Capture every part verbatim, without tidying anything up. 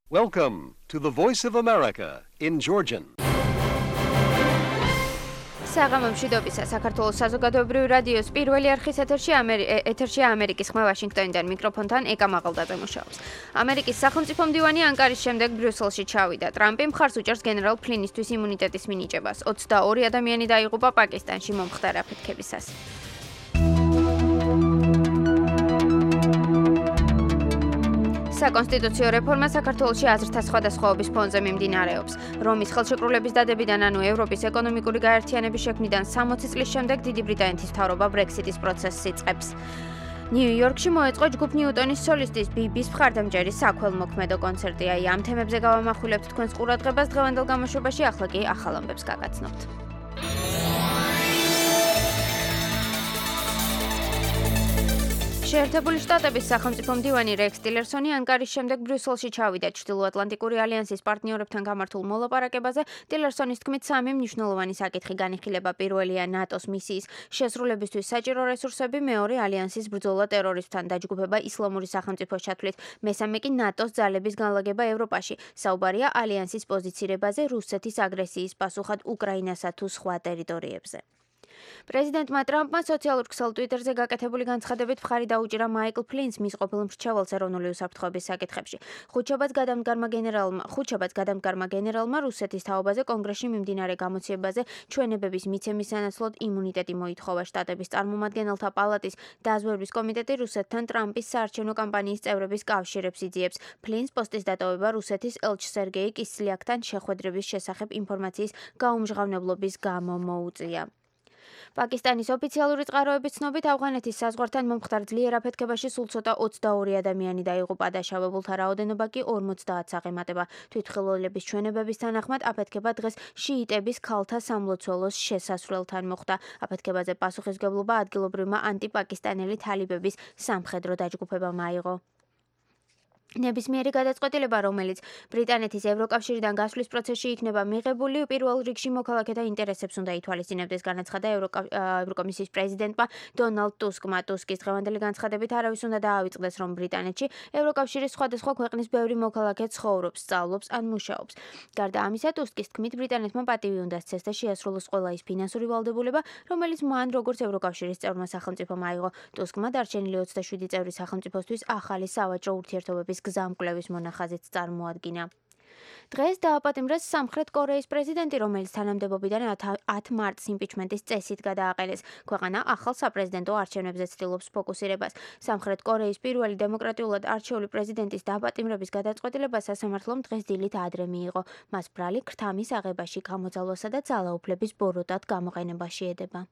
Welcome to the Voice of America in Georgian. საღამომშვიდობისა საქართველოს საზოგადოებრივი რადიოს პირველი არხის ეთერში ეთერშია ამერიკის ხმა ვაშინგტონიდან მიკროფონთან ეკა მაღალდაძე მუშაობს. ამერიკის სახელმწიფო მდივანი ანკარის შემდეგ ბრიუსელში ჩავიდა. ტრამპი მხარს უჭერს გენერალ ფლინისთვის იმუნიტეტის მინიჭებას. ოცდაორი ადამიანი დაიღუპა პაკისტანში მომხდარ აფეთქებისას. საკონსტიტუციო რეფორმა საქართველოში აზრთა სხვადასხვაობის ფონზე მიმდინარეობს. რომის ხელშეკრულების დადებიდან, ანუ ევროპის ეკონომიკური გაერთიანების შექმნიდან სამოცი წლის შემდეგ დიდი ბრიტანეთის მთავრობა ბრექსიტის პროცესს იწყებს. ნიუ-იორკში მოეწყო ჯგუფ ნიუტონის სოლისტის ბიბის მხარდამჭერის საქველმოქმედო კონცერტი. აი ამ თემებზე გავამახვილებთ თქვენს ყურადღებას დღევანდელ გამოშვებაში, ახლა კი ახალ ამბებს გაგაცნობთ. შეერთებული შტატების სახელმწიფო მდივანი რექს ტილერსონი ანკარის შემდეგ ბრიუსელში ჩავიდა. ჩრდილოატლანტიკური ალიანსის პარტნიორებთან გამართულ მოლაპარაკებაზე ტილერსონის თქმით სამი მნიშვნელოვანი საკითხი განიხილება. პირველია ნატოს მისიის შესრულებისთვის საჭირო რესურსები, მეორე ალიანსის ბრძოლა ტერორიზმთან, დაჯგუფება ისლამური სახელმწიფოს ჩათვლით, მესამე კი ნატოს ძალების განლაგება ევროპაში. საუბარია ალიანსის პოზიცირებაზე რუსეთის აგრესიის პასუხად უკრაინასა თუ სხვა ტერიტორიებზე. პრეზიდენტმა ტრამპმა სოციალურ ქსელ ტვიტერზე გაკეთებული განცხადებით მხარი დაუჭირა მაიკლ ფლინს მის ყოფილ მრჩეველს ეროვნული უსაფრთხოების საკითხებში. ხუთშაბათს გადამდგარმა გენერალმა ხუთშაბათს გადამდგარმა გენერალმა რუსეთის თაობაზე კონგრესში მიმდინარე გამოცემაზე ჩვენებების მიცემის სანაცვლოდ იმუნიტეტი მოითხოვა. შტატების წარმომადგენელთა პალატის დაზვერვის კომიტეტი რუსეთთან ტრამპის საარჩევნო კამპანიის წევრების კავშირებს იძიებს. ფლინს პოსტის დატოვება რუსეთის ელჩ სერგეი კისლიაკთან შეხვედრების შესახებ ინფორმაციის გაუმჟღავნებლობის გამო მოუწია. პაკისტანის ოფიციალური წყაროების ცნობით ავღანეთის საზღვართან მომხდარ ძლიერ აფეთქებაში სულ ცოტა ოცდაორი ადამიანი დაიღუპა. დაშავებულთა რაოდენობა კი ორმოცდაათს აღემატება. თვითმხილველების ჩვენებების თანახმად აფეთქება დღეს შიიტების ქალთა სამლოცველოს შესასვლელთან მოხდა. აფეთქებაზე პასუხისმგებლობა ადგილობრივმა ანტიპაკისტანელი თალიბების სამხედრო დაჯგუფებამ აიღო. ნებისმიერი გადაწყვეტილება, რომელიც ბრიტანეთის ევროკავშირიდან გასვლის პროცესში იქნება მიღებული, პირველ რიგში მოქალაქეთა ინტერესებს უნდა ითვალისწინებდეს, განაცხადა ევროკომისიის პრეზიდენტმა დონალდ ტუსკმა. ტუსკის დღევანდელი განცხადებით არავის უნდა დაავიწყდეს, რომ ბრიტანეთში ევროკავშირის სხვადასხვა ქვეყნის ბევრი მოქალაქე ცხოვრობს, სწავლობს ან მუშაობს. გარდა ამისა, ტუსკის თქმით, ბრიტანეთმა პატივი უნდა სცეს და შეასრულოს ყველა ის ფინანსური ვალდებულება, რომელიც მან როგორც ევროკავშირის წევრმა სახელმწიფომ აიღო. ტუსკმა დარჩენილი ოცდაშვიდი წევრი სახელმწიფოსთვის ახალი სავაჭრო ურთიერთობების გზამკვლევის მონახაზით წარმოადგინა. დღეს დააპატიმრეს სამხრეთ კორეის პრეზიდენტი, რომელიც თანამდებობიდან ათ მარტს იმპიჩმენტის წესით გადააყენეს. ქვეყანა ახალ საპრეზიდენტო არჩევნებზე ცდილობს ფოკუსირებას. სამხრეთ კორეის პირველი დემოკრატიულად არჩეული პრეზიდენტის დააპატიმრების გადაწყვეტილება სასამართლომ დღეს დილით ადრე მიიღო. მას ბრალი ქრთამის აღებაში, გამოძალვასა და ძალაუფლების ბოროტად გამოყენებაში ედება.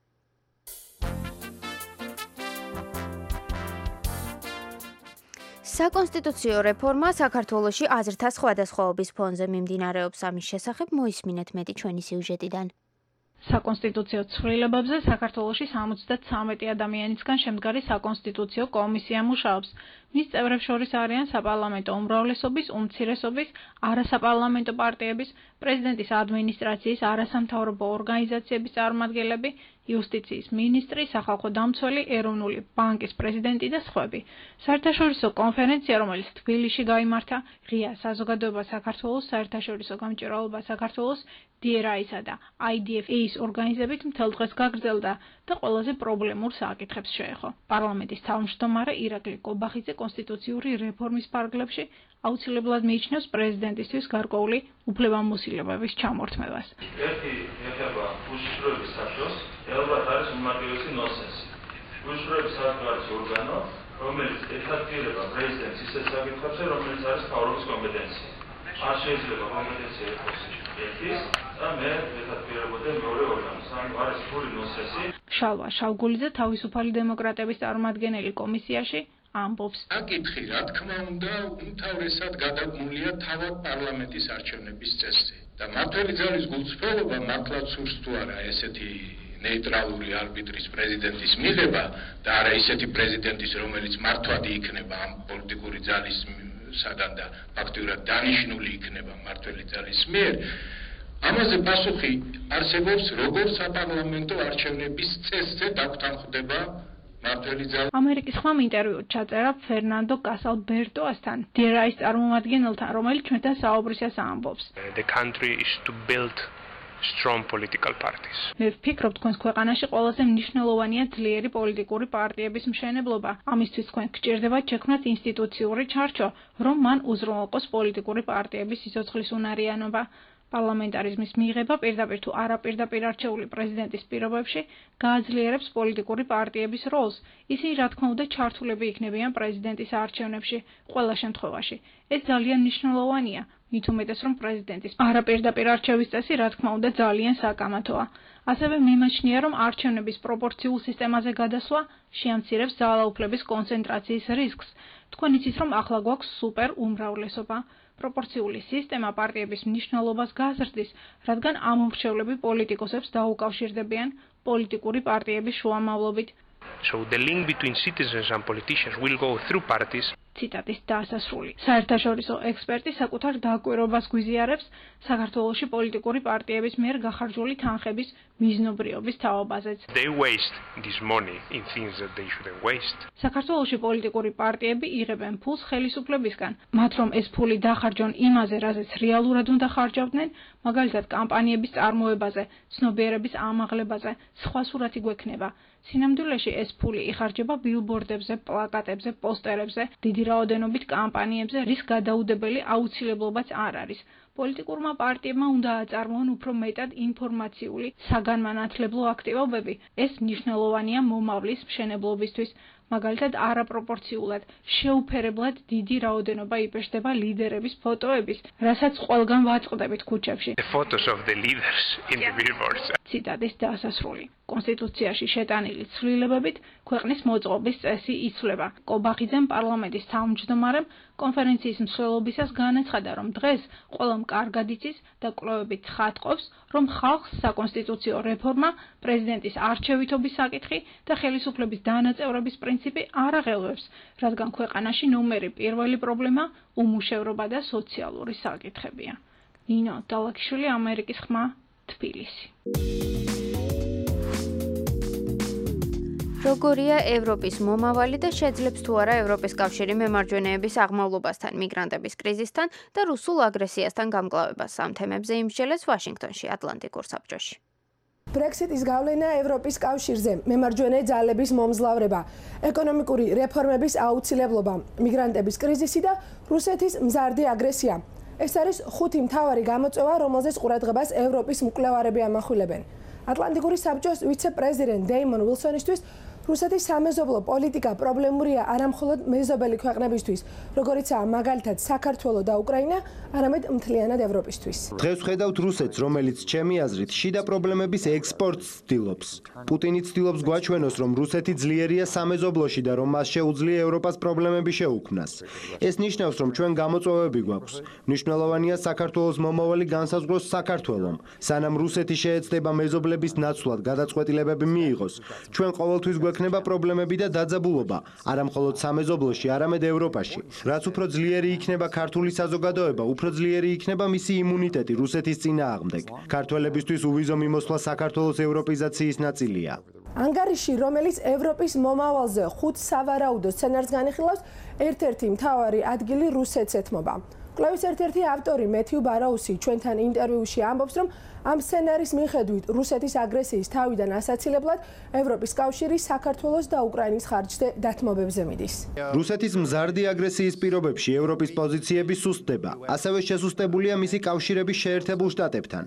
საკონსტიტუციო რეფორმა საქართველოში აზრთა სხვადასხვაობის ფონზე მიმდინარეობს. ამის შესახებ მოისმინეთ მეტი ჩვენი სიუჟეტიდან. საკონსტიტუციო ცვლილებებზე საქართველოში სამოცდათვრამეტი ადამიანისგან შემდგარი საკონსტიტუციო კომისია მუშაობს. მის წევრებს შორის არიან საპარლამენტო უმრავლესობის, უმცირესობის, არასაპარლამენტო პარტიების, პრეზიდენტის ადმინისტრაციის, არასამთავრობო ორგანიზაციების წარმომადგენლები, იუსტიციის მინისტრი, სახალხო დამცველი, ეროვნული ბანკის პრეზიდენტი და სხვები. საერთაშორისო კონფერენცია, რომელიც თბილისში გაიმართა, ღია საზოგადოება საქართველოს, საერთაშორისო გამჭვირვალობა საქართველოს, დი არ აის-ისა და აი დი ეფ ის ორგანიზებით მთელ დღეს გაგრძელდა და ყველაზე პრობლემურ საკითხებს შეეხო. პარლამენტის თავმჯდომარე ირაკლი კობახიძე კონსტიტუციური რეფორმის ფარგლებში აუცილებლად მიიჩნევს პრეზიდენტისთვის გარკვეული უფლებამოსილებების ჩამორთმევას. ერთი ეხება უშიშროების საფრთხეს, ალბათ არის უმარტივესი ნონსენსი. უშიშროების საფრთხე არის ორგანო, რომელიც ეთაქტირება პრეზიდენტს ისეთ საკითხებზე, რომელიც არის მთავრობის კომპეტენცია. არ შეიძლება კომპეტენცია იყოს ერთის და მე ეთაქტირებოდა მეორე ორგანოს. ანუ არის ფული ნონსენსი. შალვა შავგულიძე თავისუფალი დემოკრატების წარმომადგენელი კომისიაში ამბობს. საკითხი, რა თქმა უნდა, უმთავრესად გადაგმულია თავად პარლამენტის არჩევნების წესზე. და მართველი ძალის გულწრფელობა მართლაც სურს თუ არა ესეთი ნეიტრალური არბიტრის პრეზიდენტის მიღება და არა ისეთი პრეზიდენტის, რომელიც მართვადი იქნება ამ პოლიტიკური ძალის სადან და ფაქტიურად დანიშნული იქნება მართველი ძალის მიერ. ამაზე პასუხი არსებობს როგორც საპარლამენტო არჩევნების წესზე დაგვთანხმდება მართალი ძალა ამერიკის ხმამ ინტერვიუ ჩაწერა ფერნანდო კასალბერტოასთან, დერაის წარმომადგენელთან, რომელიც ჩვენთან საუბრისას ამბობს. The country is to build strong political parties. მე ვფიქრობ, თქვენს ქვეყანაში ყველაზე მნიშვნელოვანია ძლიერი პოლიტიკური პარტიების მშენებლობა. ამისთვის თქვენ გჭირდებათ შექმნათ ინსტიტუციური ჩარჩო, რომ მან უზრუნველყოს პოლიტიკური პარტიების სიცოცხლის უნარიანობა. პარლამენტარიზმის მიღება პირდაპირ თუ არაპირდაპირ არჩეული პრეზიდენტის პირობებში გააძლიერებს პოლიტიკური პარტიების როლს. ისინი რა თქმა უნდა ჩართულები იქნებიან პრეზიდენტის არჩევნებში ყველა შემთხვევაში. ეს ძალიან მნიშვნელოვანია. მით უმეტეს რომ პრეზიდენტის არაპირდაპირ არჩევის წესი რა თქმა უნდა ძალიან საკამათოა. ასევე მიმაჩნია რომ არჩევნების პროპორციულ სისტემაზე გადასვლა შეამცირებს ძალაუფლების კონცენტრაციის რისკს. თქვენ იცით რომ ახლა გვაქვს სუპერ უმრავლესობა. პროპორციული სისტემა პარტიების მნიშვნელობას გაზრდის, რადგან ამომრჩევლები პოლიტიკოსებს დაუკავშირდებიან პოლიტიკური პარტიების შუამავლობით. So the link between citizens and politicians will go through parties. ციტატის დასასრული. საერთაშორისო ექსპერტი საკუთარ დაკვირვებას გვიზიარებს საქართველოში პოლიტიკური პარტიების მიერ გახარჯული თანხების მიზნობრიობის თაობაზეც. They waste this money in things that they shouldn't waste. საქართველოში პოლიტიკური პარტიები იღებენ ფულს ხელისუფლებისგან, მათ რომ ეს ფული დახარჯონ იმაზე, რაზეც რეალურად უნდა ხარჯავდნენ, მაგალითად კამპანიების წარმოებაზე, ცნობიერების ამაღლებაზე, სხვა სურათი გვექნება. სინამდვილეში ეს ფული იხარჯება ბილბორდებზე, პლაკატებზე, პოსტერებზე, დიდი რაოდენობით კამპანიებზე, რის გადაუდებელი აუცილებლობაც არ არის. პოლიტიკურმა პარტიებმა უნდა აწარმოონ უფრო მეტად ინფორმაციული, საგანმანათლებლო აქტივობები. ეს მნიშვნელოვანია მომავლის მშენებლობისთვის. მაგალითად არაპროპორციულად, შეუფერებლად დიდი რაოდენობა იბეჭდება ლიდერების ფოტოების, რასაც ყველგან ვაწყდებით ქუჩებში. The photos of the leaders in the billboards. ციტატის დასასრული. კონსტიტუციაში შეტანილი ცვლილებებით ქვეყნის მოწყობის წესი იცვლება. კობახიძემ პარლამენტის თავმჯდომარემ კონფერენციის მსვლელობისას განაცხადა, რომ დღეს ყველამ კარგად იცის და კვლევებით ხატყობს, რომ ხალხს საკონსტიტუციო რეფორმა, პრეზიდენტის არჩევითობის საკითხი და ხელისუფლების დანაწევრების პრინციპი არ აღელვებს, რადგან ქვეყანაში ნომერი პირველი პრობლემა უმუშევრობა და სოციალური საკითხებია. ნინო დალაქიშვილი, ამერიკის ხმა, თბილისი. როგორია ევროპის მომავალი და შეძლებს თუ არა ევროპის კავშირი მემარჯვენეების აღმავლობასთან, მიგრანტების კრიზისთან და რუსულ აგრესიასთან გამკლავებას. ამ თემებზე იმსჯელეს ვაშინგტონში, ატლანტიკურ საბჭოში. ბრექსიტის გავლენა ევროპის კავშირზე, მემარჯვენე ძალების მომძლავრება, ეკონომიკური რეფორმების აუცილებლობა, მიგრანტების კრიზისი და რუსეთის მზარდი აგრესია. ეს არის ხუთი მთავარი გამოწვევა, რომელზეც ყურადღებას ევროპის მკვლევარები ამახვილებენ. ატლანტიკური საბჭოს ვიცე-პრეზიდენტ დეიმონ უილსონისთვის რუსეთის სამეზობლო პოლიტიკა პრობლემურია არა მხოლოდ მეზობელი ქვეყნებისთვის, როგორიცაა მაგალითად საქართველო და უკრაინა, არამედ მთლიანად ევროპისთვის. დღეს ვხედავთ რუსეთს, რომელიც ჩემი აზრით შიდა პრობლემების ექსპორტს ცდილობს. პუტინი ცდილობს გვაჩვენოს, რომ რუსეთი ძლიერია სამეზობლოში და რომ მას შეუძლია ევროპას პრობლემები შეუქმნას. ეს ნიშნავს, რომ ჩვენ გამოწვევები გვაქვს. მნიშვნელოვანია საქართველოს მომავალი განსაზღვროს საქართველომ. სანამ რუსეთი შეეცდება მეზობლების ნაცვლად გადაწყვეტილებები მიიღოს, ჩვენ ყოველთვის გვექნება პრობლემები და დაძაბულობა, არა მხოლოდ სამეზობლოში, არამედ ევროპაში. რაც უფრო ძლიერი იქნება ქართული საზოგადოება, უფრო ძლიერი იქნება მისი იმუნიტეტი რუსეთის წინააღმდეგ. ქართველებისთვის უვიზო მიმოსვლა საქართველოს ევროპიზაციის ნაწილია. ანგარიში, რომელიც ევროპის მომავალზე ხუთ სავარაუდო სცენარს განიხილავს, ერთ-ერთი მთავარი ადგილი რუსეთს ეთმობა. კვლევის ერთ-ერთი ავტორი მეთიუ ბარაუსი ჩვენთან ინტერვიუში ამბობს, რომ ამ სცენარის მიხედვით რუსეთის აგრესიის თავიდან ასაცილებლად ევროპის კავშირი საქართველოს და უკრაინის ხარჯზე დათმობებზე მიდის. რუსეთის მზარდი აგრესიის პირობებში ევროპის პოზიციები სუსტდება. ასევე შესუსტებულია მისი კავშირების შეერთებულ შტატებთან.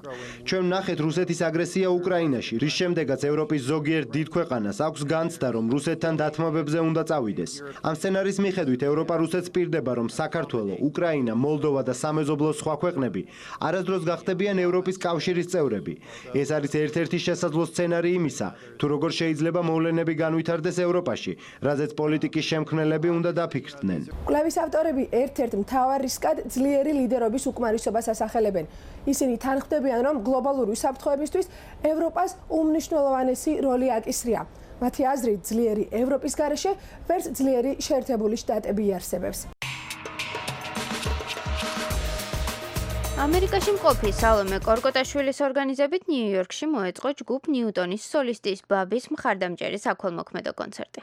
ჩვენ ვნახეთ რუსეთის აგრესია უკრაინაში, რის შემდეგაც ევროპის ზოგიერთ დიდ ქვეყანას აქვს განცდა, რომ რუსეთთან დათმობებზე უნდა წავიდეს. ამ სცენარის მიხედვით ევროპა რუსეთს პირდება, რომ საქართველო, უკრაინა, მოლდოვა და სამეზობლოს სხვა ქვეყნები არასდროს გახდებიან ევროპის კავშირის წევრები. ეს არის ერთ-ერთი შესაძლო სცენარი იმისა, თუ როგორ შეიძლება მოვლენები განვითარდეს ევროპაში, რაზეც პოლიტიკის შემქმნელები უნდა დაფიქრდნენ. კვლევის ავტორები ერთ-ერთ მთავარ რისკად ძლიერი ლიდერობის უკმარისობას ასახელებენ. ისინი თანხმდებიან, რომ გლობალური უსაფრთხოებისთვის ევროპას უმნიშვნელოვანესი როლი აკისრია. მათი აზრით, ძლიერი ევროპის გარეშე ვერც ძლიერი შეერთებული შტატები იარსებებს. ამერიკაში მყოფი სალომე კორკოტაშვილის ორგანიზებით ნიუ-იორკში მოეწყო ჯგუფ ნიუტონის სოლისტის ბაბის მხარდამჭერი საქველმოქმედო კონცერტი.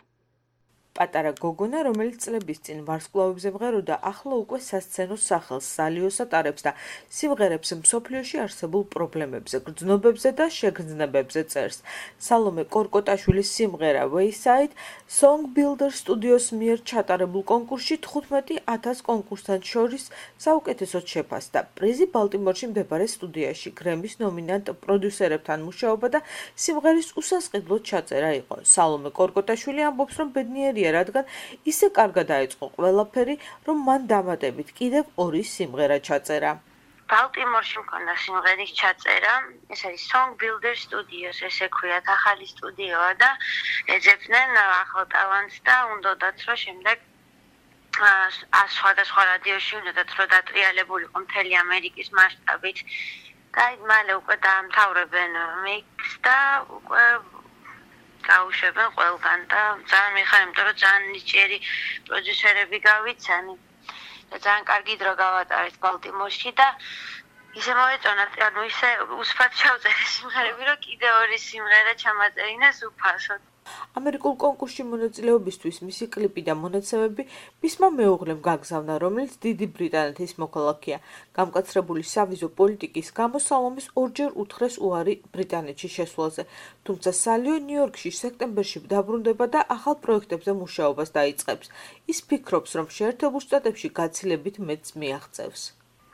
პატარა გოგონა, რომელიც წლების წინ ვარსკვლავებზე მღეროდა, ახლა უკვე სასცენო სახელს სალიოს ატარებს და სიმღერებს მსოფლიოში არსებულ პრობლემებზე, გრძნობებზე და შეგრძნებებზე წერს. სალომე კორკოტაშვილის სიმღერა Wayside Song Builder Studios მიერ ჩატარებულ კონკურსში თხუთმეტი ათას კონკურსანტ შორის საუკეთესოდ შეფასდა. პრიზი ბალტიმორში მდებარე სტუდიაში გრემის ნომინანტ პროდიუსერებთან მუშაობა და სიმღერის უსასყიდლოდ ჩაწერა იყო. სალომე კორკოტაშვილი ამბობს, რომ ბედნიერია, რადგან ისე კარგად დაიწყო ყველაფერი, რომ მან დამატებით კიდევ ორი სიმღერა ჩაწერა. ბალტიმორში მქონდა სიმღერის ჩაწერა, ეს არის Song Builder Studios, ესე ქვიათ, ახალი სტუდიოა და ეძებდნენ ახალ ტალანტს და უნდათ, რომ შემდეგ სხვადასხვა რადიოში უნდათ, რომ დატრიალებულიყო მთელი ამერიკის მასშტაბით. და მალე უკვე დაამთავრებენ მიქსს და უკვე გაუშვებენ ყველგან და ძალიან მიხარ, იმიტომ რომ ძალიან ნიჭიერი პროდიუსერები გავიცანი და ძალიან კარგი დრო გავატარეთ ბალტიმორში და ისე მოეწონათ, ანუ ისე უსფათ ჩავწერე სიმღერები, რომ კიდე ორი სიმღერა ჩამაწერინეს უფასოდ. ამერიკულ კონკურსში მონაწილეობისთვის მისი კლიპი და მონაცემები მისმა მეუღლემ გაგზავნა, რომელიც დიდი ბრიტანეთის მოქალაქეა. გამკაცრებული სავიზო პოლიტიკის გამო სალომეს ორჯერ უთხრეს უარი ბრიტანეთში შესვლაზე, თუმცა სალიო ნიუ-იორკში სექტემბერში დაბრუნდება და ახალ პროექტებზე მუშაობას დაიწყებს. ის ფიქრობს, რომ შეერთებულ შტატებში გაცილებით მეტს მიაღწევს.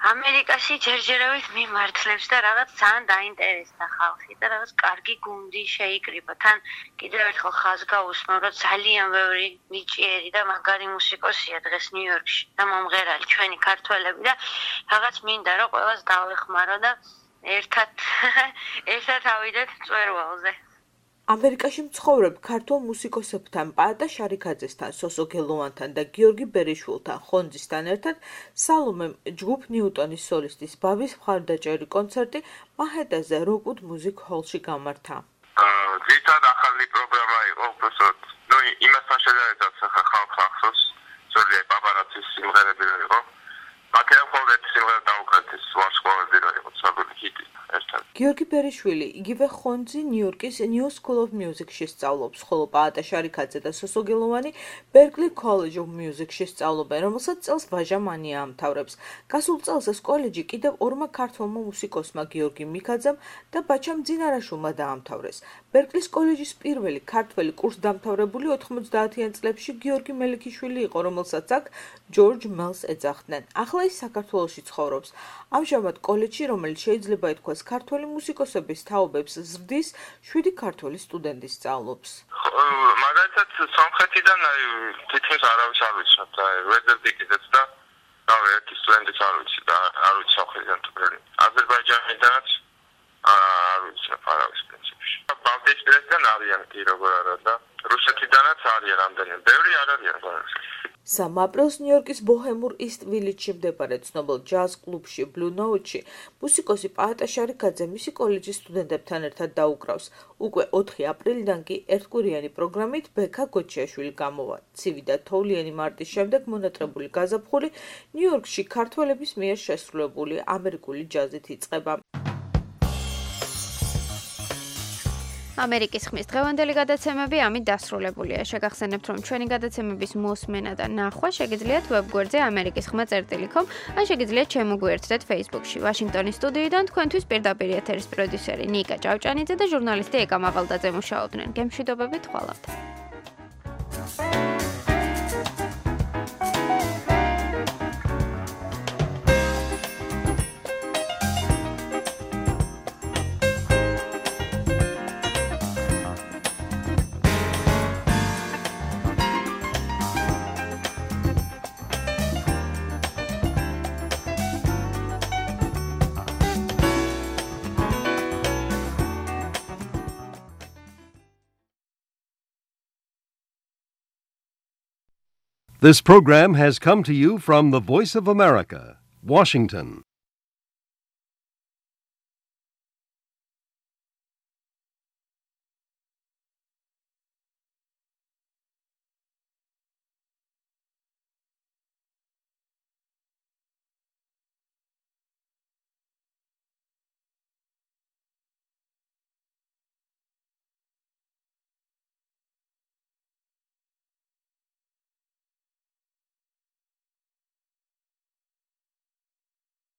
ამერიკაში ჯერჯერობით მიმართლებს და რაღაც ძალიან დაინტერესდა ხალხი და რაღაც კარგი გუნდი შეიკრიბა. თან კიდევ ერთხელ ხაზ გაუსმო, რომ ძალიან ბევრი ნიჭიერი და მაგარი მუსიკოსია დღეს ნიუ-იორკში და მომღერალი ჩვენი ქართველები და რაღაც მინდა რომ ყველას დავეხმარო და ერთად ერთად ავიდეთ მწვერვალზე. ამერიკაში მცხოვრებ ქართულ მუსიკოსებთან, პაატა შარიქაძესთან, სოსო გელოვანთან და გიორგი ბერიშვილთან ხონძისთან ერთად სალომემ ჯგუფ ნიუტონის სოლისტის ბაბის მხარდაჭერი კონცერტი მაჰეტაზე როკუდ მუსიკ ჰოლში გამართა. ძირითადად ახალი პროგრამა იყო, უბრალოდ ნუ იმასთან შედარებით ხალხს ახსოვს, ზოგადად პაპარაცის სიმღერები იყო. მაგრამ ხოლმე სიმღერა დაუკრეთ ვარსკვლავები რო იყო ცნობილი ჰიტი. გიორგი ბერიშვილი იგივე ხონძი ნიუ-იორკის New School of Music-ში სწავლობს, ხოლო პაატა შარიქაძე და სოსო გელოვანი Berklee College of Music-ში სწავლობენ, რომელსაც წელს ვაჟა მანია ამთავრებს. გასულ წელს ეს კოლეჯი კიდევ ორმა ქართველმა მუსიკოსმა გიორგი მიქაძემ და ბაჩამ ძინარაშვილმა დაამთავრეს. Berklee-ის კოლეჯის პირველი ქართველი კურსდამთავრებული ოთხმოცდაათიან წლებში გიორგი მელიქიშვილი იყო, რომელსაც აქ ჯორჯ მელს ეძახდნენ. ახლა ის საქართველოში ცხოვრობს. ამჟამად კოლეჯში, რომელიც შეიძლება ითქვას ქართველი მუსიკოსების თაობებს ზრდის, შვიდი ქართველი სტუდენტი სწავლობს. მაგალითად, სამხრეთიდან აი თითქმის არავის არ ვიცნობ და ვეზერდიკიდაც და რავი, ერთი სტუდენტიც არ ვიცი და არ ვიცი სამხრეთიდან თბილი. აზერბაიჯანიდანაც არ ვიცნობ არავის პრინციპში. ბალტიისპირეთიდან არიან კი როგორ არა და რუსეთიდანაც არიან რამდენიმე. ბევრი არ არიან გარს. სამ აპრილს ნიუ-იორკის ბოჰემურ ისტ ვილიჯში მდებარე ცნობილ ჯაზ კლუბში Blue Note-ში მუსიკოსი პაატა შარიქაძე მისი კოლეჯის სტუდენტებთან ერთად დაუკრავს. უკვე ოთხი აპრილიდან კი ერთკვირიანი პროგრამით ბექა გოჩიაშვილი გამოვა. ცივი და თოვლიანი მარტის შემდეგ მონატრებული გაზაფხული ნიუ-იორკში ქართველების მიერ შესრულებული ამერიკული ჯაზით იწყება. ამერიკის ხმის დღევანდელი გადაცემები ამით დასრულებულია. შეგახსენებთ, რომ ჩვენი გადაცემების მოსმენა და ნახვა შეგიძლიათ ვებგვერდზე ამერიკის ხმა წერტილი კომ, ან შეგიძლიათ შემოგვიერთდეთ Facebook-ში. ვაშინგტონის სტუდიიდან თქვენთვის პირდაპირ ეთერის პროდიუსერი ნიკა ჭავჭანიძე და ჟურნალისტი ეკა მაღალდაძე მუშაობდნენ. გემშვიდობებით, ხვალავთ. This program has come to you from the Voice of America, Washington.